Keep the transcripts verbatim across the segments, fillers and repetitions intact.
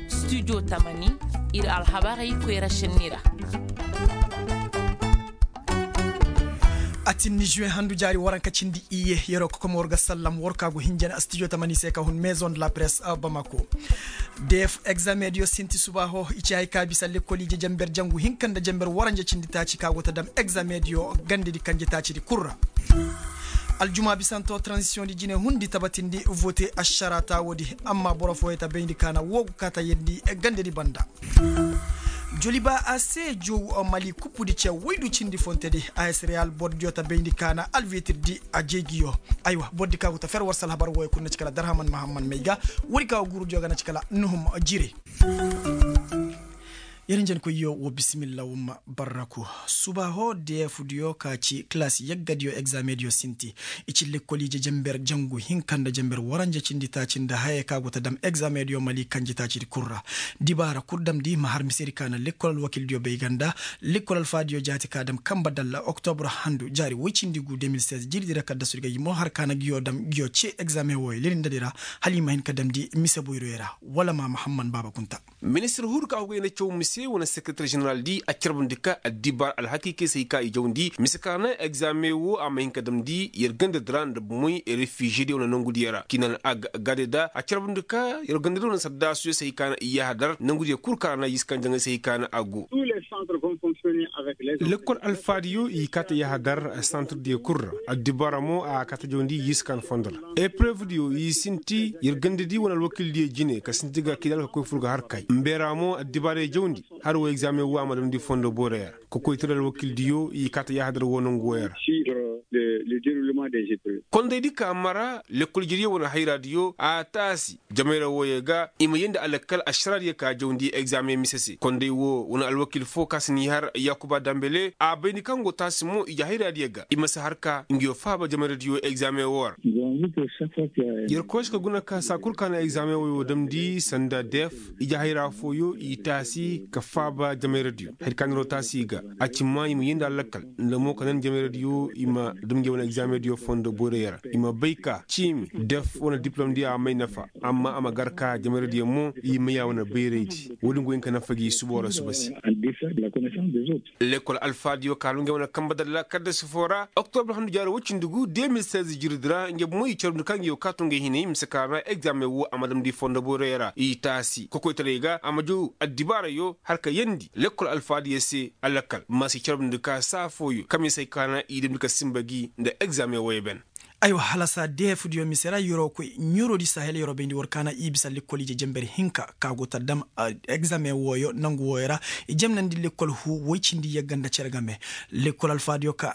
Studio tamani, ir alhabarey koyra šenni ra. A tinni juwe handu jaari waranka cindi iyye, yeroo kokomo war ga sallam war ka go hinjana studio tamani se ka hun maison de la presse bamako. Df examen diyo sinti subaaho i ci hay ka bisa lekkol ije jenber jangu hinka nda jenber waranja cindi taaci ka go ta dam examen diyo gandedi kanje taacidi kul ra. Aljuma bisanto transition di jine hundi tabatindi vote ašara taawo di. Amma boro fooyo ta bayndi ka na woo go kaa ta yeendi gandedi banda. Joliba a se jow mali kuppudi ce woydu cindi fontedi. As real bordiyo ta bayndi ka na alvitir di a jeejiyo. Aywa bordi ka go ta fer war si alhabar wooyo kul na ci kala darhaman mahamman may ga. Woodi ka go guurudiyo ga na ci kala nuhum jire. Yer njenkoyyo woo bisimilla woo ma barraku. Subaaho deefudiyo ka ci kilaasi yaggadiyo egzaamediyo sinti. I ci lekkol ije jenber jangu hinka nda jenber waranja cindi taaci nda haya ka go ta dam egzaamediyo mali kanjitaacidi kul ra. Dibaara kul damndi ma har misedi ka na lekkol alwakildiyo bay ga nda lekkol alfaadiyo jaati ka dam kanba dalla oktobur handu jaari woy cindi gu de mil seize jirdi ra kaddasudi ga i mo har ka na ngiyo dam ngiyo cee egzaamen wooyo lelindadi ra. Hala i ma hin ka damndi mise boyroyo ra. Wala ma mahamman baaba kunta. Ministir huuru ka hugay na caw mise wane sekereter ženeral di a carbundi ka addibaar alhakiikey se hay ka i jawndi mise ka na egzaamen woo a ma hin ka damndi yer gandadi ra nda bomey refiiziyediyo wane nongudiyo ra kinan ag gade da a carbundi ka yer gandadi wane sardaasuyo se hay ka na i yahadar nongudiyo kul ka ra na yiskan jaŋay se hay ka na a go. Lekkol alfaadiyo i kaa ta yahadar santirdiyo kul ra. Addibaara mo a kaa ta jawndi yiskan fondo ra. Eprevdiyo i sinti yer gandadi wane alwakildiyo jine ka sinti ga kidal ka koy fur ga har kay mbeera mo addibaarey jawndi. Har woo egzaamen woo a ma damndi fondo boorey ra. Kokoytara alwakildiyo i kaa ta yaahadar woo nongu wooyey ra. Kondaydi ka mara lekkol ijediyo wane hayraadiyo a taasi jamayra wooyey ga i ma yeendi alakal ašaraadiyo ka jawndi egzaamen mise se konday woo wane alwakil foo ka si n'i har yaakuba dambele a bay ni kaŋ go taasi mo ije hayraadiyo ga i ma si har ka ngiyo faaba jamayradiyo egzaamen woo ra. Yer koy se ka guna ka saa kul ka na egzaamen wooyo damndi sanda def ije hayra fooyo i taasi ka faaba jamayradiyo hari ka niroo taasi i ga. A ci maa i ma yeendi alakal nda mo ka nan jamayradiyo i ma dam nge wane egzaamendiyo fondo boyroyo ra i ma bay ka ciimi def wane dipilomdiyo a may nafa. Amma a ma gar ka jamayradiyo mo i may a wane bayraydi. Woodin go hin ka nafa gi suboo ra suba se. Lekkol alfaadiyo ka halu ngey wane kambe dalla kaddasi foo ra oktobur handu jaari woy cindi gu de mil seize jirdi ra ngey bomo i carbundi ka ngey wo kaa to ngey hinay mise ka ra egzaamen woo a ma damndi fondo boyroyo ra i taasi kokoytaray ga a ma jaw addibaarayo har ka yeendi lekkol alfaadiyo se alakal ma si carbundi ka saa fooyo kamisey ka na i damndi ka sinba gi nda egzaamen wooyo ben. Aywa halasa deefudiyo mise ra yer'o koy ɲurodi sahel yer'o bayndi war kaana i bisa lekkol ije jenber hinka ka go ta dam egzaamen wooyo nangu wooyo ra. I jemnandi lekkol huu woy cindi yagga nda cere game. Lekkol alfaadiyo ka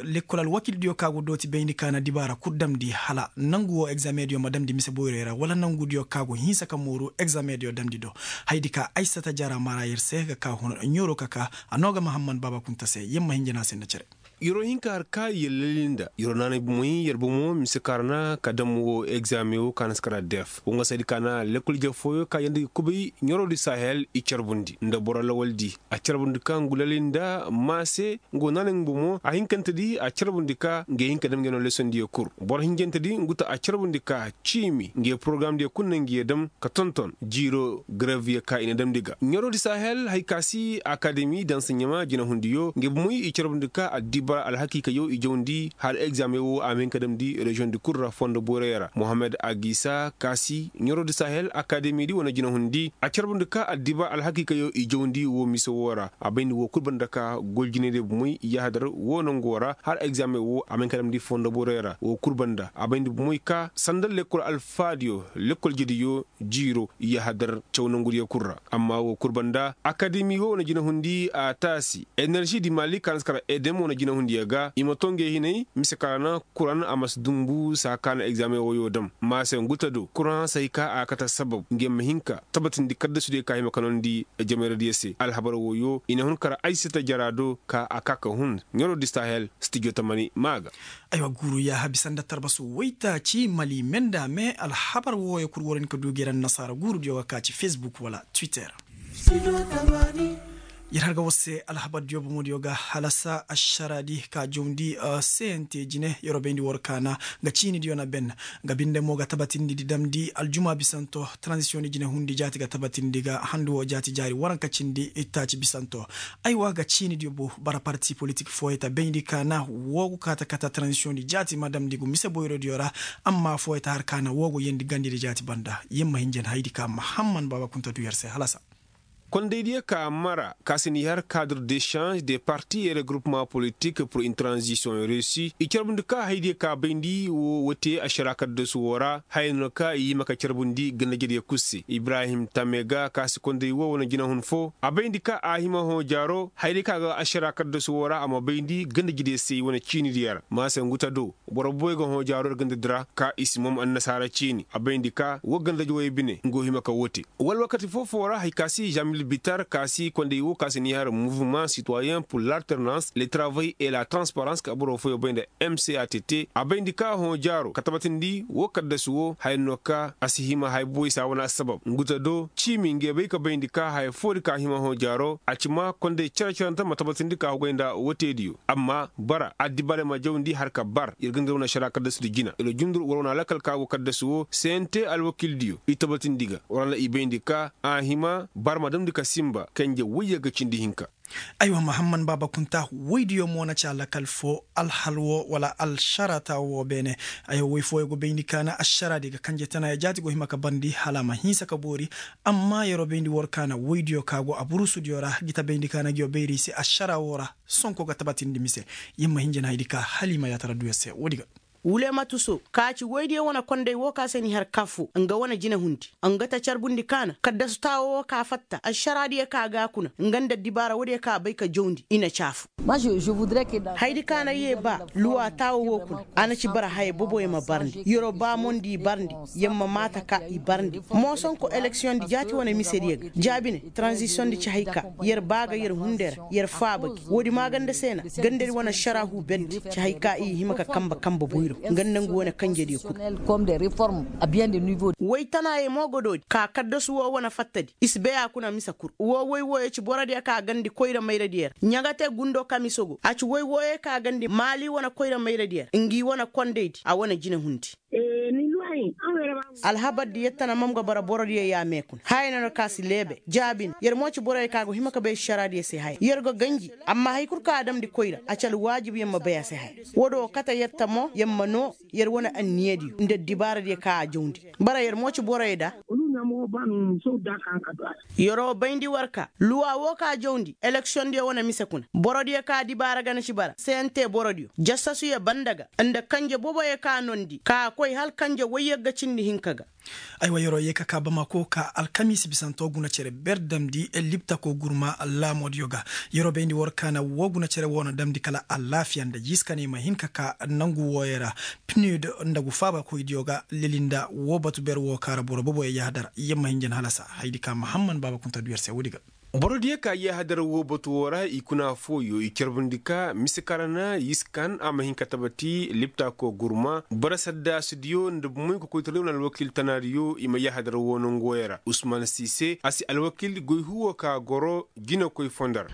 lekkol alwakildiyo ka go dooti bayndi kaana dibaara kul damndi hala nangu woo egzaamendiyo ma damndi mise boyroyo ra wala nangudiyo ka go hinsa ka mooru egzaameediyo damndi do. Hayadi ka aysata jara mara yer se ga ka hun ɲuro ka ka a noo ga mahamman baaba kunta se yer ma hin jana se nda cere. Yer'o hin ka har ka yer lali nda yer'o naanay bomoy yer bomo mise ka ra na ka dam woo egzaamen woo ka na si kara def woo nga saydi ka na lekkol ije fooyo ka yeendi ga kubay ɲurodi sahel i carbundi nda boro lawaldi a carbundi ka ngu lali nda maa se ngu naanay ngu bomo a hinkantedi a carbundi ka nge hin ka dam nge no lesondiyo kul boro hinjantedi ngu ta a carbundi ka ciimi nge porogaramdiyo kul na ngiyo dam ka tonton jiiro gareviyo ka i na damndi ga ɲurodi sahel hay ka si akademi dansa ɲama jinahundiyo nge bomoy i carbundi ka addibaara alhakiikayo i jawndi hala egzaamen woo a ma hin ka damndi reziyoŋdi kul ra fondo boyroyo ra mohammed agisa ka si ɲurodi sahel akademidi wane jinahundi a carbundi ka addibaara alhakiikayo i jawndi woo mise woo ra a bayndi woo kul banda ka goljinaydiyo bomoy i yahadar woo nongo ra hala egzaamen woo a ma hin ka damndi fondo boyroyo ra woo kul banda a bayndi bomoy ka sanda lekkol alfaadiyo lekkol ijediyo jiiro i yahadar caw nangudiyo kul ra amma woo kul banda akademi woo wane jinahundi a taasi enerži di mali ka na si kara edem wane jinahundiyo ga i ma too ngey hinay mise ka ra na kuran a ma si dunbu saa ka na egzaamen wooyo dam maa se ngu ta do kuran se hay ka a kate sabab ngey ma hin ka tabatindi kaddasudiyo ka hima ka noondi jamayradiyo se alhabar wooyo i na hun kara aysata jara do ka a ka ka hun ɲurodi sahel stijo tamani maa ga. Aywa guuru yaaha bisa nda tarbasu woytaaci mali me nda me alhabar wooyo kul war hin ka du gay ra annasaara guurudiyo ga ka ci fesbuk wala twitter. Yer har ga war se alhabar diyo bomo diyo ga halasa ašara di ka jawndi, sente jine yer wo bayndi war kaana. Nga ciini diyo na ben nga binde mo ga tabatindi di damndi aljuma bisanto. Tranzisiyoŋ di jine hundi jaati ga tabatindi ga handu wo jaati jaari waranka cindi ittaaci bisanto. Aywa ga ciini diyo bu bara parti politik fooyey ta bayndi kaana woo go kaata kata tranzisiyoŋ di jaati ma damndi gu mise boyro diyo ra. Amma fooyey ta har kaana woo go yeendi gandi di jaati banda yer ma hin jen haydi ka mahamman baaba kunta du yer se halasa. Kondaydiyo ka mara ka se n'i har kaadr de šanž de parti et regroupement politik pur in tranzisiyoŋ reesi i carbundi ka haydiyo ka bayndi woo wote ašara kaddasu woo ra haya no ka i hima ka carbundi gandajediyo kul se ibrahim tamega ka se konday woo wane jinahun foo a bayndi ka a hima hõ jaaro haydiyo ka ga ašara kaddasu woo ra a ma bayndi gandajediyo se i wane ciinidiyo ra ma se ngu ta do boro boy ga hõ jaaro ir gandadi ra ka i si mom annasaara ciini a bayndi ka woo gandadi woyey bine nga wo hima ka woo te. Wala wakati foo-foo ra hari ka si žamil bitar ka si konday woo ka si ni har muvman sitoyen pur l'alternans le travay et la transparans ka boro fooyoo bay nda mcat a bayndi ka hõ jaaro ka tabatindi woo kaddasu woo haya no ka a si hima haya boy saa wane assabab ngu ta do ciimi ngey bay ka bayndi ka haya foodi ka hima hõ jaaro a ci ma konday cere-cerante ma tabatindi ka hugay nda woteediyo amma bara addibaray ma jawndi har ka bar ir ga nda ir wane ašara kaddasudi jina ir ga jundur war wane alakal ka go kaddasu woo sente alwakildiyo i tabatindi ga war na i bayndi ka a hima bar ma damndi ka sinba kanje woyyaga cindi hinka. Aywa mahamman baaba kunta woydiyo mo na ci alakal foo alhal woo wala alšara taawo woo beene. Aywa woy fooyo go bayndi ka na ašaraadi ga kanje tanaaya jaati go hima ka barndi hala a ma hinsa ka boori. Amma yeroo bayndi war ka na woydiyo ka go aburusudiyo ra gi ta bayndi ka na ngiyo bayri i se ašara woo ra sonko ga tabatindi mise. Yer ma hin jen haydi ka hala i ma yaatara du yer se woodi ga. Wulematu so ka ci woydiyo wane konday woo ka se ni har kafu nga wane jinehundi nga ta carbundi ka na kaddasu taawo woo ka fatta ašaraadiyo ka ga a kuna nga nda addibaara woodiyo ka a bay ka jawndi i na caafu. Haydi ka na yee ba luwa taawo woo kuna a na ci bara haya boboyo ma barndi yeroo ba mo nda i barndi yer ma maata ka i barndi. Moosonko eleksiyoŋ di jaati wane misediyo ga jaabi ne tranzisiyoŋ di ci hay ka yer ba ga yer hunday ra yer faaba gi woodi maaganda se na gandadi wane ašaraahu berdi ci hay ka i hima ka kanba kanba boyro nga nda ngu wane kanjediyo kul. Woy tanaayey mo ga doodi ka kaddasu woo wane fattadi i si bay a kuna mise kul woo woy wooyo ci borodiyo ka gandi koyra mayradiyo ra ɲaga te gundo kamiso go a ci woy wooyo ka gandi maali wane koyra mayradiyo ra ngi wane kondaydi a wane jinehundi. Alhabardi yer tana ma nga bara borodiyo yaamee kuna haya no na ka si leebe jaabi na yer mo ci boroyo ka go hima ka bay ašaraadiyo se haya yer go ganji amma hay kul ka a damndi koyra a ci alwaajib yer ma bay a se haya. Woodi woo kate yer ta mo yer ma noo yer wane anniyadiyo nda addibaaradiyo ka a jawndi bara yer mo ci boroyo da. Yeroo bayndi war ka luwa woo ka jawndi eleksiyondiyo wane mise kuna borodiyo ka dibaara gana ci bara sente borodiyo jasasuyo banda ga nda kanje boboyo ka noondi ka a koy hala kanje woyyagga cindi hinka ga. Aywa yeroo yee ka kaa bamako ka alkamiisi bisanto guna cere ber damndi liptako gurma laamoodiyo ga. Yeroo bayndi war ka na woo guna cere woo na damndi kala alaafiya nda yiskaney ma hin ka kaa nangu wooyo ra. Pnud nda gu faabakoydiyo ga leli nda woo batu ber woo ka ra boro boboyo yaahadar yer ma hin jen halasa haydi ka mahamman baaba kunta du yer se woodi ga. Borodiyo ka yaahadar woo batu woo ra i kuna fooyo i carbundi ka mise ka ra na yiskan a ma hin ka tabati liptako gurma bara saddaasudiyo nda bumoy kokoytariyo nda alwakiil tanaadiyo i ma yaahadar woo nongu wooyo ra usman siise a si alwakiil goy huwo ka goro jinakoy fondar.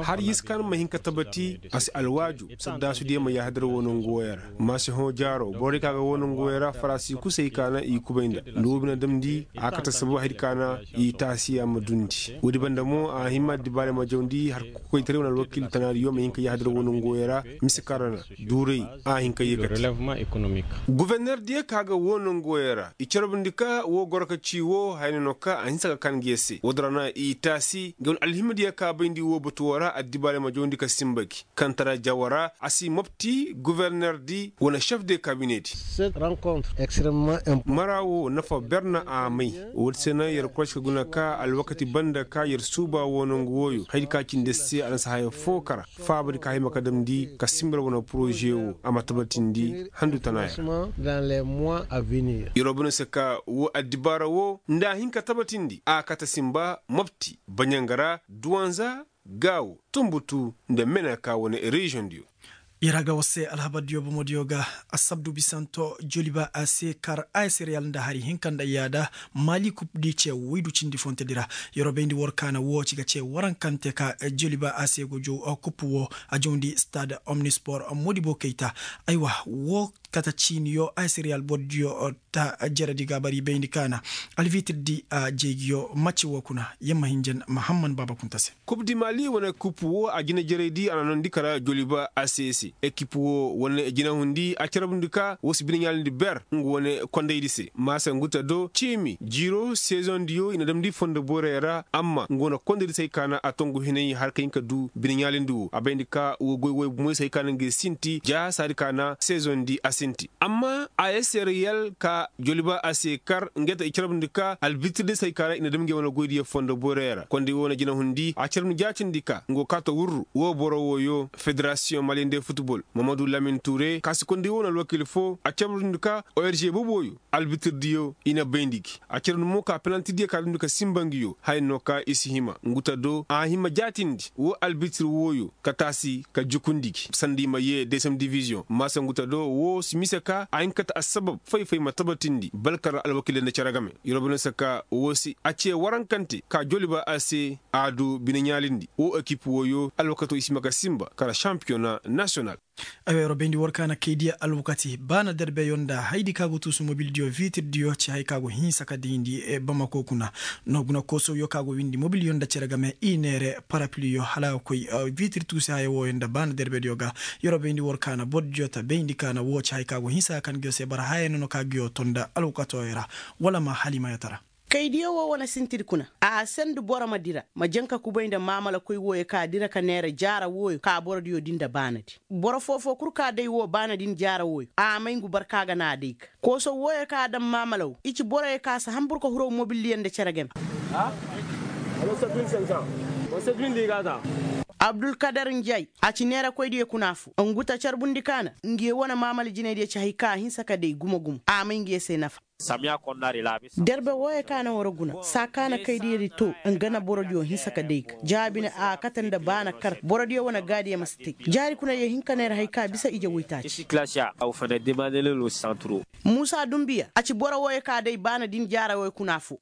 Har yiskan ma hin ka tabati a si alwaaju saddaasudiyo ma yaahadar woo nongu wooyo ra ma si hõ jaaro borodiyo ka ga woo nongu wooyo ra faraasi kusay ka na i kubay nda nda woo bine damndi a kate sababu haydi ka na i taasiya ma dundi woodi banda mo a hima addibaarey ma jawndi har kokoytaray wane alwakiil tanaadiyo ma hin ka yaahadar woo nongu wooyo ra mise ka ra na duuray a hin ka yeekate. Gofornerdiyo ka ga woo nongu wooyo ra i carbundi ka woo goro ka ci woo haya no ka a hinsa ka kaa ngi yer se woodi ra na i taasi ngi wane alhimadiyo ka bayndi woo batu woo ra addibaarey ma jawndi ka sinba gi kaŋ tara jawa ra a si mopti gofornerdi wane šef de kabinedi. Mara woo nafa ber na a may woodi se na yer koroci ka guna ka alwakati banda ka yer suuba woo nongu wooyo haydi ka cindi yer se a na si haya foo kara faabadi ka hima ka damndi ka simba yer wane poroze woo a ma tabatindi handu tana ya ra. Yeroo bine se ka woo addibaara woo nda a hin ka tabatindi a kate simba mopti baɲanga ra duwanza gaawo tunbutu nda mena ka wane reziyoŋdiyo. Yer ga war se alhabar diyo bomo diyo ga. Asabdu bisanto joliba a se kar a s real nda hari hinka nda yaada mali kub di ce waydu cindi fonte di ra. Yer wo bayndi war kaana woo ci ga ce warankante ka joliba a se go jow kub woo a jawndi stade omnispor modibo kayta. Aywa, woo kata ciiniyo a s real boro diyo ta jere di ga a bari bayndi kaana albitir di a jeegiyo macci woo kuna. Yer ma hinjan mahamman baaba kunta se. Kub di mali wane kub woo a jinajerey di a na noondi kara joliba a se se ekip woo wane jinahundi a carbundi ka woo si bine ɲaalindi ber nga wane kondaydi se maasa ngu ta do ciimi jiiro sezoŋ diyo i na damndi fondo borey ra amma nga wane kondaydi se hay ka na a tongu hinay har ka hin ka du bine ɲaalindi woo a bayndi ka woo goy woy bomoy se hay ka na ngey sinti ja saadi ka na sezoŋ di a sinti. Amma a s real ka joliba a se kar ngey ta i carbundi ka albitir di se hay ka na i na dam ngey wane goydiyo fondo borey ra konday woo na jinahundi a carbundi jaatindi ka nga go kaa ta wurru woo boro wooyo federasiyoŋ maliyende futbol mamadu lamin ture kaasi konday woo na alwakiil foo a carbundi ka org boboyo albitir diyo i na bayndi gi a carbundi mo ka pelanti diyo ka dundi ka sinba ngiyo haya no ka i si hima ngu ta do a hima jaatindi woo albitir wooyo ka taasi ka jukundi gi sanda i ma yee deesem diviziyoŋ maasa ngu ta do woo si mise ka a hin ka ta assabab fay-fay ma tabatindi balkar alwakiiley nda cere game. Yer wo bine se ka woo si a ce warankante ka joliba a se a du bine ɲaalindi woo ekip wooyo alwakato i si hima ka sinba kara sampiyona nasiyonal. Ay wa yer wo bayndi war ka na kay diya alwakati baana derbeyo nda haydi ka go tuusu mobil diyo vitir diyo ci hay ka go hinsa ka dayndi bamako kuna. No guna koosowyo ka go windi mobil yo nda cere game i neere parapiliyo hala a ga koy vitir tuusi haya wooyo nda baana derbe diyo ga. Yer wo bayndi war ka na boro diyo ta bayndi ka na woo ci hay ka go hinsa ka kan nguyo se bara haya no no ka nguyo to nda alwakatooyo ra wala ma hala i ma yatara. Kaydiyo woo wane sinti di kuna a sendu boro ma dira ma janka kubay nda maamalakoy wooyo ka dira ka neera jaara wooyo ka borodiyo di nda baanadi. Boro foofoo kul ka day woo baanadi nda jaara wooyo a may ngu barka ga na a day ga kooso wooyo ka a daŋ maamala woo i ci boroyo ka si hambur ka huraw mobilliyaŋ nda cere game. Abdulkadar njay a ci neerakoydiyo kuna affoo ngu ta carbundi ka na nguyo wane maamala jinaydiyo ci hay ka a hinsa ka day gumo-gumo a may nguyo se nafa. Derbe wooyo ka na war guna saa ka na kaydiyadi too nga na borodiyo hinsa ka day ga jaabi na a kate nda baana kar borodiyo wane gaadiyo ma si te jaari kuna yee hin ka neera hay ka bisa ije woytaaci. Muusa dunbiya a ci boro wooyo ka day baana din jaara wooyo kuna affoo.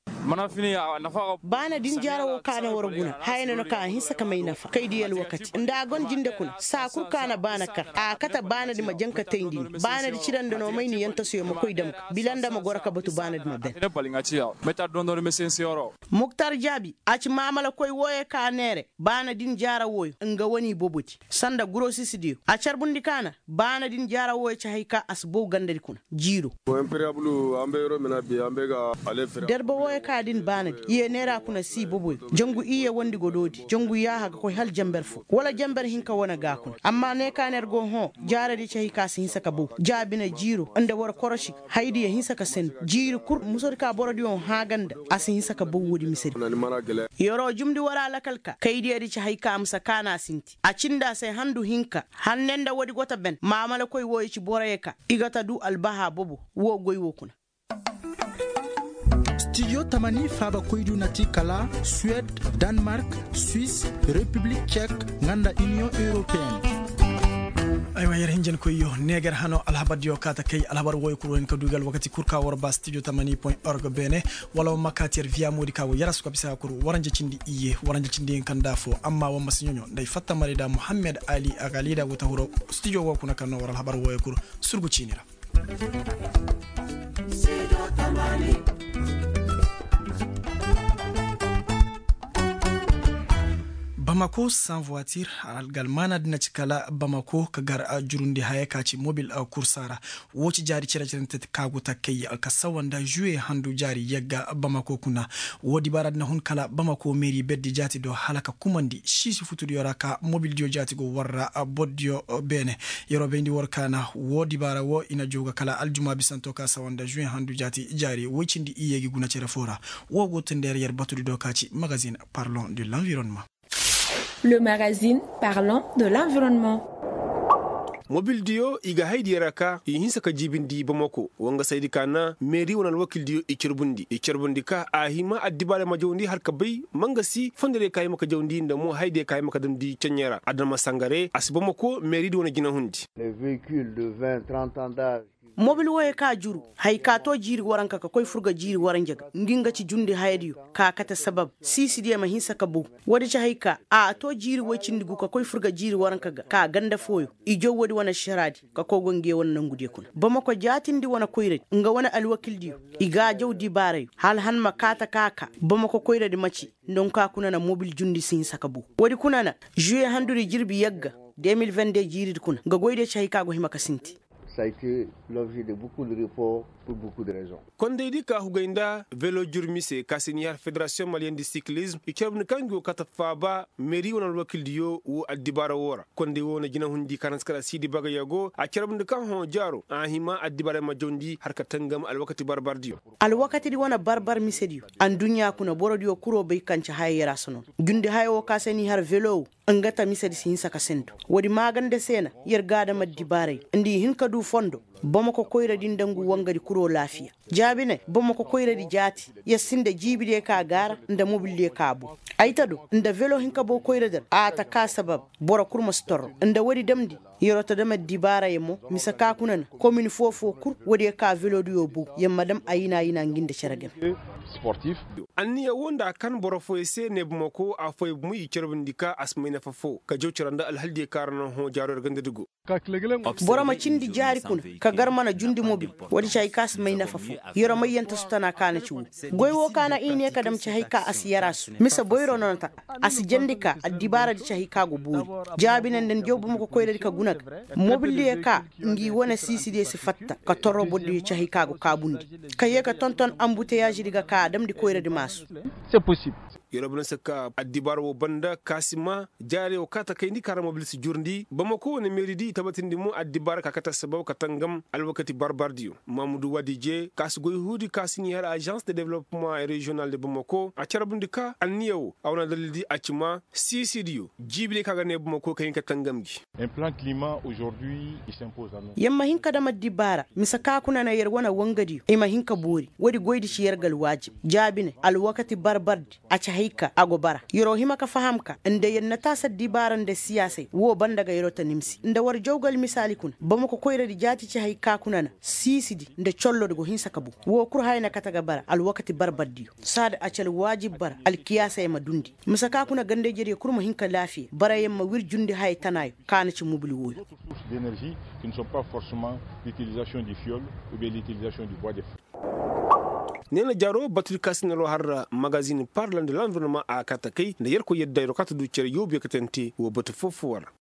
Baana din jaara woo ka na war guna haya na no ka a hinsa ka may nafa kaydiyo alwakati nda a go na jinde kuna saa kul ka na baana kar a kate baanadi ma jaŋ ka tayndi ni baanadi cire nda no may ni yantasiyo ma koy dam ga bila nda ma goro ka batu baanadi ma ben. Muktar jaabi a ci maamalakoy wooyo ka neere baana din jaara wooyo nga wane ibobodi sanda gurosisidiyo a carbundi ka na baana din jaara wooyo ci hay ka a si bow gandadi kuna jiiro. Derbe wooyo ka din baanadi i ye neera kuna si iboboyo jangu i ye wandi godoodi jangu yaaha ga koy hala janber foo wala janber hinka wane ga kuna amma ne ka na yer go hõ jaaradi ci hay ka a si hinsa ka bow jaabi na jiiro nda war korosi hayadiyo hinsa ka sendu jiiri kul musodi ka borodiyo hã ga nda a si hinsa ka bow woodi misedi. Yer'o jumndi war alakal ka kaydiyadi ci hay ka a ma si kaana a sinti a cindi a se handu hinka hanne nda woodi go ta ben maamalakoy wooyo ci boroyo ka i ga ta duu albahaa bobo woo goy woo kuna. Stijo tamani faabakoydiyo na ti kala suwed, danmark, swis, repiblik cek, nga nda iniyoŋ europeen. Aywa yer hinjankoyyo neegar hano alhabardiyo kaa ta kay alhabar wooyo kul wo hin ka duu gi alwakati kul ka war ba stijo tamani point org beene wala war ma kaa ti yer viya moodi ka go yer a su ka bisa ka kul waranja cindi iyye waranja cindi hinka nda afoo amma war ma si ɲoɲo nda ay fatta marayda muhammed ali agalida go ta hiro stijo woo kuna kaŋ no war alhabar wooyo kul surgu ciini ra. Bamako sans voiture algalmaana din na ci kala bamako ka gar jurundi haya ka ci mobil kursa ra. Woo ci jaari cere-cerente ka go takkay ka sawa nda žuwe handu jaari yagga bamako kuna. Woo dibaara din na hun kala bamako meeri berdi jaati do hala ka kumandi siisi futudiyo ra ka mobildiyo jaati go war ra bordiyo beene. Yer wo bayndi war kaana woo dibaara woo i na jooga kala aljuma bisanto ka sawa nda žuwe handu jaati jaari woy cindi iyye gi guna cere foo ra. Woo go tun nda yer yer batudi do ka ci magazin parlon de l'environnement. Le magazine parlant de l'environnement. Mobildiyo i ga haydiyo ra ka i hinsa ka jiibindi bamako. Wangasaydi ka na meeri wane alwakildiyo i carbundi i carbundi ka a hima addibaarey ma jawndi har ka bay mangasi fondorey ka hima ka jawndi nda mo haydiyo ka hima ka damndi ceɲɲey ra adama sangare a si bamako meeridi wane jinahundi. Mobil wooyey ka juru, haya ka to jiiri waranka ka koy fur ga jiiri waranja ga ngi nga ci jundi hayadiyo, ka kate sabab siisidiyo ma hinsa ka bow. Woodi ci haya ka a to jiiri woy cindi gu ka koy fur ga jiiri waranka ga ka ganda fooyo. I jaw woodi wane ašaraadi ka koy go ngiyo wane nangudiyo kuna bamako jaatindi wane koyradi nga wane alwakildiyo. I ga a jaw dibaarayo hala han ma kaata ka a kaa. Bamako koyradi ma ci nda nka kuna na mobil jundi si hinsa ka bow. Woodi kuna na žuye handudi jirbi yagga de mil vende jiiridi kuna nga goydiyo ci haya ka go hima ka sinti. Kondaydi ka hugay nda velo jurmi se ka si n'i har federasiyoŋ maliyen di sikilizm i carbundi ka ngi wo kate faaba meeri wane alwakildiyo woo addibaara woo ra. Konday woo na jinahundi ka na si kar a siidi bagayoo go a carbundi ka hõ jaaro a hima addibaarey ma jawndi har ka tangam alwakati barbardiyo. Alwakatidi wane barbar misediyo. Adduɲɲa kuna borodiyo kuroo bay kaŋ ci haya yaraasa noona. Jundi haya woo ka se n'i har velo woo nga ta misedi si hinsa ka sendu. Woodi maaganda se na yer ga adama addibaaray nda i hin ka duu fondo. Bamako koyradi nda ngu wangadi kuroo laafiya. Jaabinay bamako koyradi jaati yer sinda jiibidiyo ka gaara nda mobildiyo ka bow. Ay ta do nda velo hin ka bow koyradi ra a ta kaa sabab. Boro kul ma si torro nda woodi damndi. Yeroo ta dam addibaarayo mo mise ka kuna na komin foo-foo kul woodiyo ka velodiyo bow yer ma dam ayina-ayina ngi nda cere game. Anniya woo nda a kan boro fooyo se ne bamako affooyo bomo i carbundi ka a si may nafa foo ka jaw cere nda alhaldiyo ka ra na hõ jaaro yer gandadi go. Boro ma cindi jaari kuna ka gar mana jundi mobil. Woodi ci hay ka si may nafa foo. Yeroo mayyante su tana ka na ci woo. Goy woo ka na i ne ka dam ci hay ka a si yaraasu mise boyro no na ta. A si jandi ka addibaaradi ci hay ka go boori. Jaabi ne nda ni jaw bamako koyradi ka guna ga mobildiyo ka ngi wane siisidiyo si fatta ka torro bordiyo ci hay ka go kaabundi. Ka yee ka tonton ambuteyaazidi ga ka a damndi koyradi maasu. Yeroo bana se ka addibaara woo banda ka si maa jaarey woo ka ta kayndi ka ra mobil si jurndi bamako wane meeridi i tabatindi mo addibaara ka kate sabab ka tangam alwakati barbardiyo. Mamudu waadi je ka si goy huudi ka si n'i har ažans de developpeman reziyonal de bamako a carbundi ka anniya woo a wane dalildi a ci maa siisidiyo jiibidiyo ka ga ne bamako ka hin ka tangam gi. Yer ma hin ka dam addibaara mise ka kuna na yer wane wangadiyo i ma hin ka boori woodi goydi ci yer ga alwaajib. Jaabinay alwakati barbardi a ci hay ka a go bara. Yeroo hima ka faham ka nda yer na taasi addibaara nda siyaasay woo banda ga yeroo ta nimsi nda war jaw ga almisaali kuna bamako koyradi jaati ci hay ka kuna na siisidi nda collodi go hinsa ka bow. Woo kul haya na kate ga bara alwakati barbardiyo. Saada a ci alwaajib bara alkiyaasey ma dundi mise ka kuna ganda-ijediyo kul ma hin ka laafiya barayaŋ ma wir jundi haya tanaayo ka na ci mobil wooyo. Ne na jaaroo batudi ka si na loo har magazin parla nda lanvirnoma a kate kay nda yerkoy yadda yeroo ka ta du cere yoobu ya katante woo batu foo-foo ra.